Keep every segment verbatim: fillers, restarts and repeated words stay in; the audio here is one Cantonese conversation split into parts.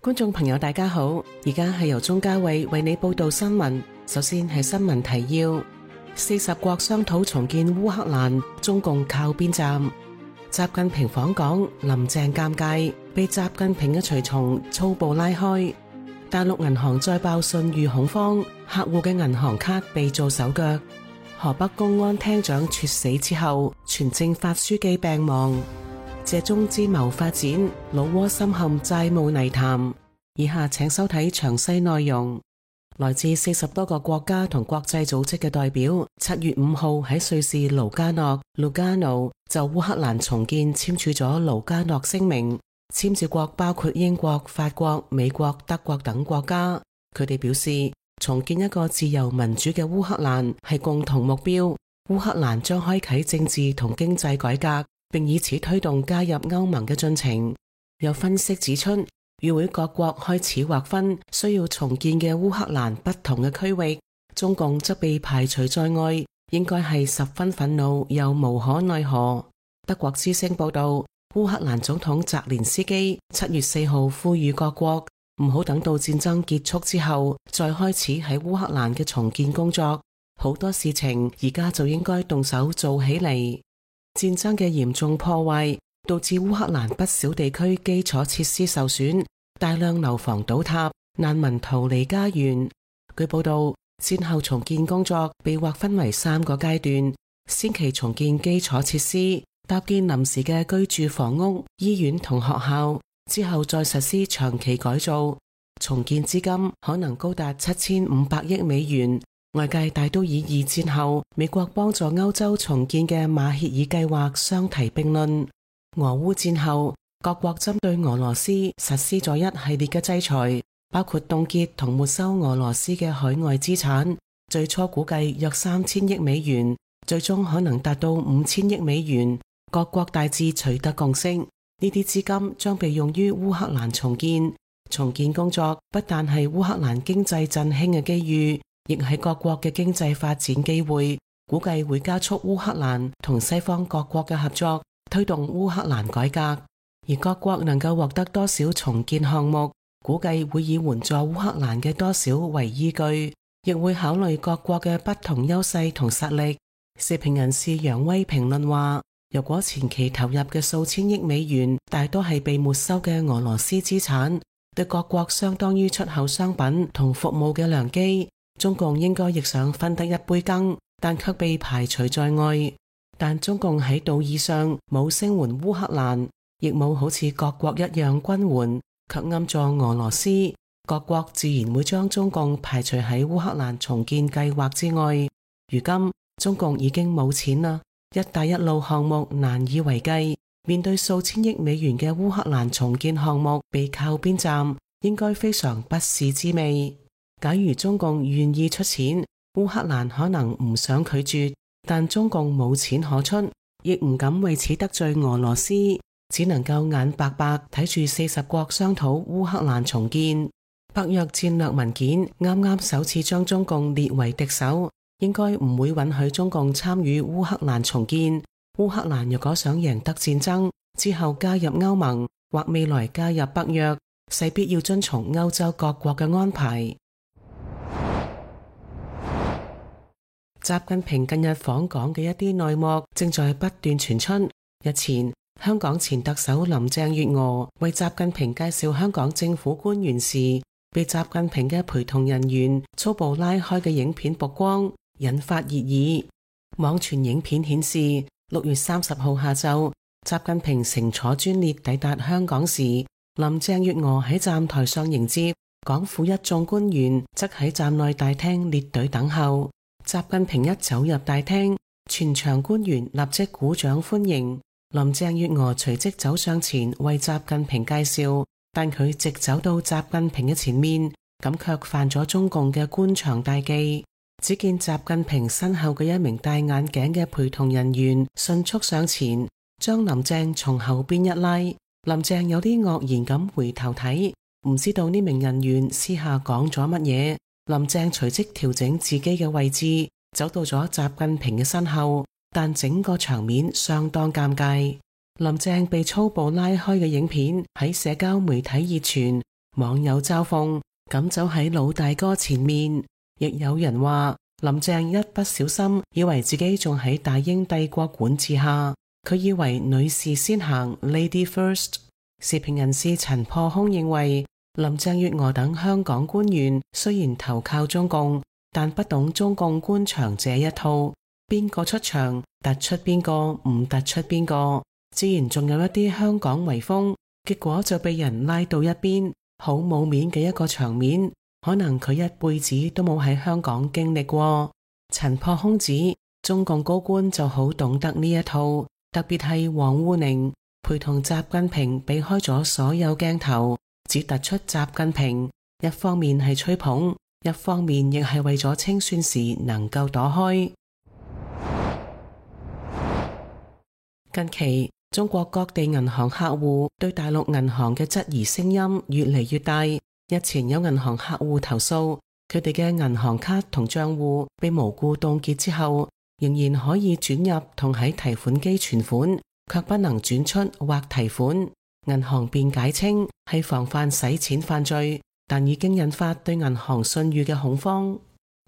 觀眾朋友大家好，而家係由鍾嘉慧為你報道新聞。首先係新聞提要：四十國商討重建烏克蘭，中共靠邊站？習近平訪港，林鄭尷尬，被習近平嘅隨從粗暴拉開。大陸銀行再爆信譽恐慌，客戶嘅銀行卡被做手腳。河北公安廳長猝死之後，全政法書記病亡。借中資謀發展，老撾深陷債務泥潭。以下請收睇詳細內容。來自四十多個國家同國際組織嘅代表，七月五號喺瑞士盧加諾 （Lugano） 就烏克蘭重建簽署咗盧加諾聲明。簽署國包括英國、法國、美國、德國等國家。佢哋表示，重建一個自由民主嘅烏克蘭係共同目標。烏克蘭將開啟政治同經濟改革，並以此推動加入歐盟嘅進程。有分析指出，與會各國開始劃分需要重建嘅烏克蘭不同嘅區域，中共則被排除在外，應該係十分憤怒又無可奈何。德國之聲報道，烏克蘭總統澤連斯基七月四號呼籲各國唔好等到戰爭結束之後再開始喺烏克蘭嘅重建工作，好多事情而家就應該動手做起嚟。戰爭嘅嚴重破壞導致烏克蘭不少地區基礎設施受損，大量樓房倒塌，難民逃離家園。據報道，戰後重建工作被劃分為三個階段：先期重建基礎設施，搭建臨時嘅居住房屋、醫院同學校，之後再實施長期改造。重建資金可能高達七千五百億美元。外界大都以二戰後美國幫助歐洲重建嘅馬歇爾計劃相提並論。俄烏戰後，各國針對俄羅斯實施咗一系列嘅制裁，包括凍結同沒收俄羅斯嘅海外資產，最初估計約三千億美元，最終可能達到五千億美元。各國大致取得共識，呢啲資金將被用於烏克蘭重建。重建工作不但係烏克蘭經濟振興嘅機遇，亦係各國嘅經濟發展機會，估計會加速烏克蘭同西方各國嘅合作，推動烏克蘭改革。而各國能夠獲得多少重建項目，估計會以援助烏克蘭嘅多少為依據，亦會考慮各國嘅不同優勢同實力。時評人士楊威評論話，如果前期投入嘅數千億美元大多係被沒收嘅俄羅斯資產，對各國相當於出口商品同服務嘅良機，中共應該亦想分得一杯羹，但卻被排除在外。但中共喺道義上冇聲援烏克蘭，亦冇好似各國一樣軍援，卻暗助俄羅斯。各國自然會將中共排除喺烏克蘭重建計劃之外。如今中共已經冇錢啦，一帶一路項目難以為繼，面對數千億美元嘅烏克蘭重建項目被靠邊站，應該非常不是滋味。假如中共願意出錢，烏克蘭可能唔想拒絕，但中共冇錢可出，亦唔敢為此得罪俄羅斯，只能夠眼白白睇住四十國商討烏克蘭重建。北約戰略文件啱啱首次將中共列為敵手，應該唔會允許中共參與烏克蘭重建。烏克蘭若果想贏得戰爭，之後加入歐盟或未來加入北約，勢必要遵從歐洲各國嘅安排。習近平近日訪港嘅一啲內幕正在不斷傳出。日前，香港前特首林鄭月娥為習近平介紹香港政府官員時，被習近平嘅陪同人員粗暴拉開嘅影片曝光，引發熱議。網傳影片顯示，六月三十號下晝，習近平乘坐專列抵達香港時，林鄭月娥喺站台上迎接，港府一眾官員則喺站內大廳列隊等候。習近平一走入大廳，全場官員立即鼓掌歡迎。林鄭月娥隨即走上前為習近平介紹，但佢直走到習近平嘅前面，咁卻犯咗中共嘅官場大忌。只見習近平身後嘅一名戴眼鏡嘅陪同人員迅速上前，將林鄭從後邊一拉。林鄭有啲愕然咁回頭睇，唔知道呢名人員私下講咗乜嘢。林鄭隨即調整自己嘅位置，走到咗習近平嘅身後，但整個場面相當尷尬。林鄭被粗暴拉開嘅影片喺社交媒體熱傳，網友嘲諷咁走喺老大哥前面，亦有人話林鄭一不小心以為自己仲喺大英帝國管治下，佢以為女士先行 Lady First。時評人士陳破空認為，林鄭月娥等香港官員雖然投靠中共，但不懂中共官場這一套，邊個出場突出邊個，唔突出邊個，自然仲有一啲香港遺風，結果就被人拉到一邊，好冇面嘅一個場面，可能佢一輩子都冇喺香港經歷過。陳破空指中共高官就好懂得呢一套，特別係王滬寧陪同習近平避開咗所有鏡頭，只突出習近平，一方面係吹捧，一方面亦係為咗清算時能夠躲開。近期中國各地銀行客戶對大陸銀行嘅質疑聲音越嚟越大。日前有銀行客戶投訴，佢哋嘅銀行卡同賬戶被無故凍結之後，仍然可以轉入同喺提款機存款，卻不能轉出或提款。銀行辯解稱係防範洗錢犯罪，但已經引發對銀行信譽嘅恐慌。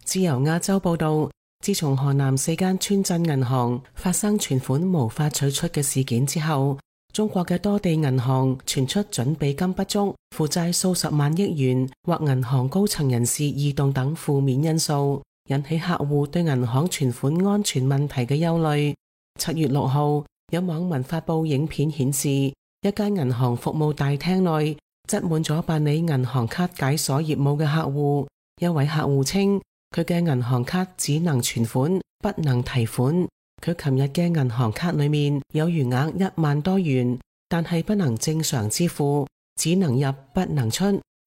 自由亞洲報道，自從河南四間村鎮銀行發生存款無法取出嘅事件之後，中國嘅多地銀行傳出準備金不足、負債數十萬億元或銀行高層人事異動等負面因素，引起客戶對銀行存款安全問題嘅憂慮。七月六號，有網民發布影片顯示，一間銀行服務大廳內擠滿咗辦理銀行卡解鎖業務嘅客戶。一位客戶稱，佢嘅銀行卡只能存款，不能提款。佢琴日嘅銀行卡裏面有餘額一萬多元，但係不能正常支付，只能入不能出。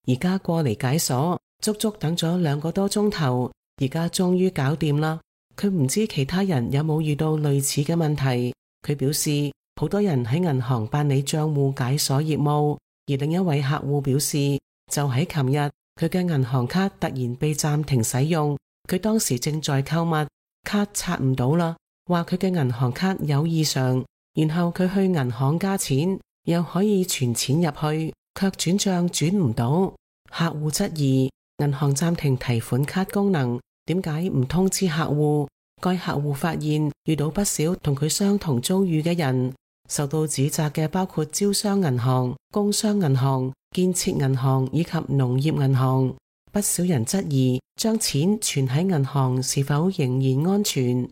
而家過嚟解鎖，足足等咗兩個多鐘頭，而家終於搞掂啦。佢唔知其他人有冇遇到類似嘅問題。佢表示，好多人喺銀行辦理賬戶解鎖業務，而另一位客戶表示，就喺琴日，佢嘅銀行卡突然被暫停使用，佢當時正在購物，卡刷唔到啦。話佢嘅銀行卡有異常，然後佢去銀行加錢，又可以存錢入去，卻轉賬轉唔到。客戶質疑銀行暫停提款卡功能，點解唔通知客戶？該客戶發現遇到不少同佢相同遭遇嘅人，受到指責嘅包括招商銀行、工商銀行、建設銀行以及農業銀行。不少人質疑將錢存喺銀行是否仍然安全。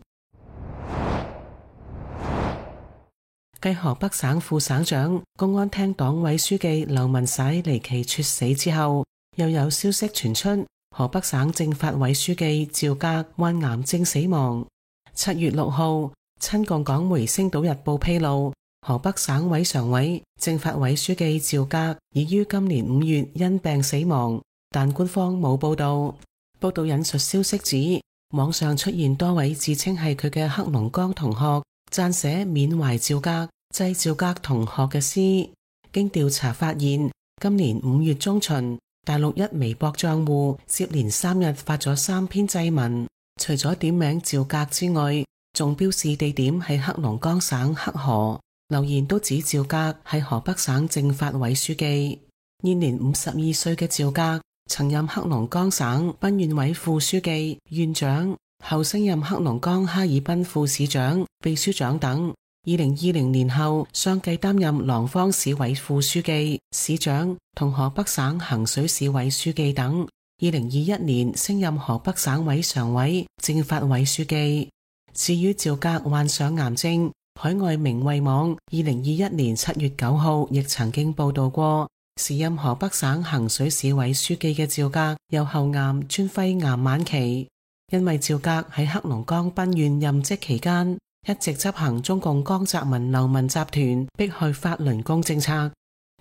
繼河北省副省長、公安廳黨委書記劉文璽離奇猝死之後，又有消息傳出，河北省政法委書記趙格患癌症死亡。七月六號，親共港媒《星島日報》披露，河北省委常委、政法委書記趙格已於今年五月因病死亡，但官方冇報道。報道引述消息指，網上出現多位自稱係佢嘅黑龍江同學撰寫緬懷趙格、祭趙格同學嘅詩。經調查發現，今年五月中旬，大陸一微博賬戶接連三日發咗三篇祭文，除咗點名趙格之外，仲標示地點係黑龍江省黑河，留言都指趙格係河北省政法委書記。現年五十二歲嘅趙格曾任黑龍江省賓縣委副書記、縣長，後升任黑龍江哈爾濱副市長、秘書長等。二零二零年後相繼擔任廊坊市委副書記、市長同河北省衡水市委書記等。二零二一年升任河北省委常委、政法委書記。至於趙格患上癌症，海外明慧網二零二一年七月九號亦曾經報道過，時任河北省衡水市委書記嘅趙格有後癌專肺癌晚期。因為趙格喺黑龍江賓縣任職期間，一直執行中共江澤民流氓集團迫害法輪功政策。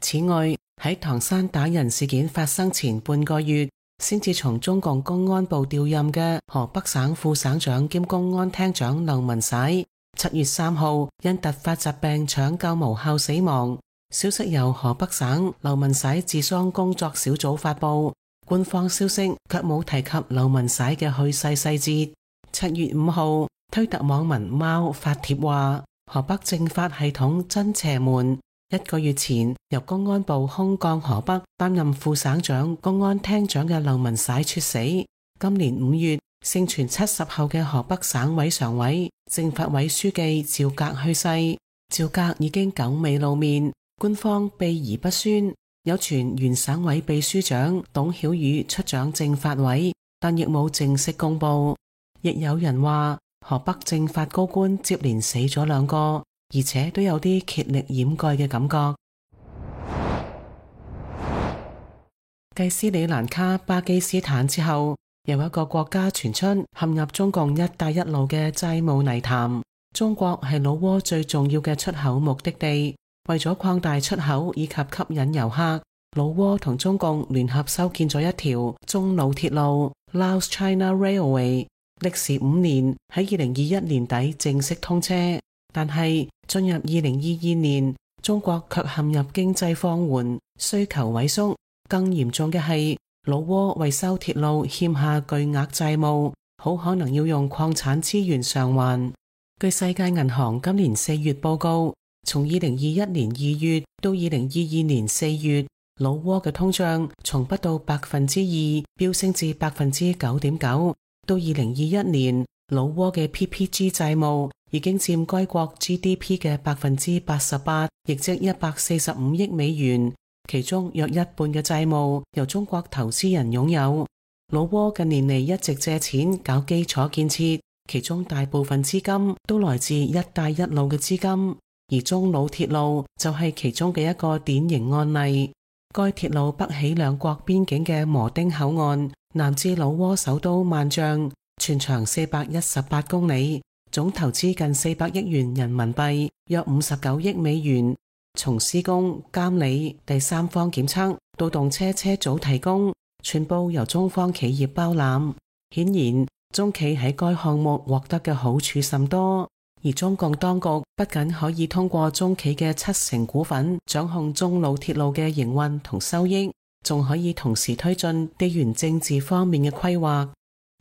此外，喺唐山打人事件發生前半個月，先至從中共公安部調任嘅河北省副省長兼公安廳長劉文璽，七月三號因突發疾病搶救無效死亡。消息由河北省劉文璽治喪工作小組發布，官方消息卻冇提及劉文璽嘅去世細節。七月五號，推特網民貓發帖話，河北政法系統真邪門，一個月前由公安部空降河北擔任副省長、公安廳長嘅劉文璽猝死。今年五月，盛傳七十後嘅河北省委常委、政法委書記趙格去世。趙格已經久未露面，官方秘而不宣。有傳原省委秘書長董曉宇出掌政法委，但亦冇正式公布。亦有人話河北政法高官接連死咗兩個，而且都有啲竭力掩蓋嘅感覺。繼斯里蘭卡、巴基斯坦之後，有一個國家傳出陷入中共一帶一路嘅債務泥潭。中國係老撾最重要嘅出口目的地，為咗擴大出口以及吸引遊客，老撾同中共聯合修建咗一條中老鐵路 Laos China Railway， 歷時五年，喺二零二一年底正式通車。但係進入二零二二年，中國卻陷入經濟放緩、需求萎縮，更嚴重嘅係老撾為修鐵路欠下巨額債務，好可能要用礦產資源償還。據世界銀行今年四月報告，從二零二一年二月到二零二二年四月，老撾嘅通脹從不到百分之二飆升至百分之九點九。到二零二一年，老撾嘅 P P G 債務已經佔該國 G D P 嘅百分之八十八，亦即一百四十五億美元。其中約一半嘅債務由中國投資人擁有。老撾近年嚟一直借錢搞基礎建設，其中大部分資金都來自一帶一路嘅資金，而中老鐵路就係其中嘅一個典型案例。該鐵路北起兩國邊境嘅磨丁口岸，南至老撾首都萬象，全長四百一十八公里，總投資近四百億元人民幣，約五十九億美元。從施工、監理、第三方檢測到動車車組提供，全部由中方企業包攬。顯然，中企喺該項目獲得嘅好處甚多，而中共當局不僅可以通過中企嘅七成股份掌控中老鐵路嘅營運同收益，仲可以同時推進地緣政治方面嘅規劃。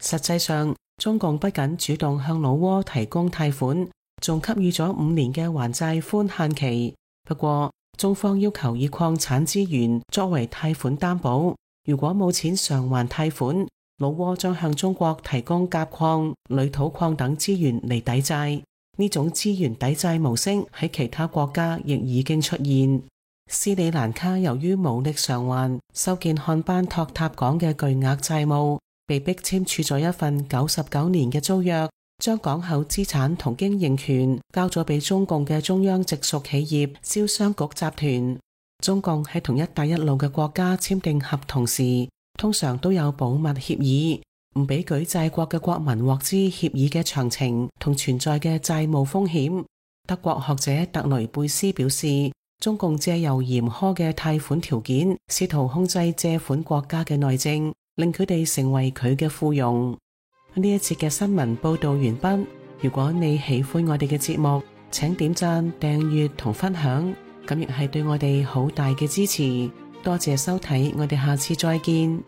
實際上，中共不僅主動向老撾提供貸款，仲給予咗五年嘅還債寬限期。不過，中方要求以礦產資源作為貸款擔保，如果冇錢償還貸款，老撾將向中國提供鎘礦、鋁土礦等資源嚟抵債。呢種資源抵債模式喺其他國家亦已經出現。斯里蘭卡由於無力償還修建漢班托塔港嘅巨額債務，被迫簽署咗一份九十九年嘅租約，將港口資產同經營權交咗俾中共嘅中央直屬企業招商局集團。中共喺同一帶一路嘅國家簽訂合同時，通常都有保密協議，唔俾舉債國嘅國民獲知協議嘅詳情同存在嘅債務風險。德國學者特雷貝斯表示，中共借由嚴苛嘅貸款條件，試圖控制借款國家嘅內政，令佢哋成為佢嘅附庸。呢一節嘅新聞報道完畢。如果你喜歡我哋嘅節目，請點讚、訂閱同分享，咁亦係對我哋好大嘅支持。多謝收睇，我哋下次再見。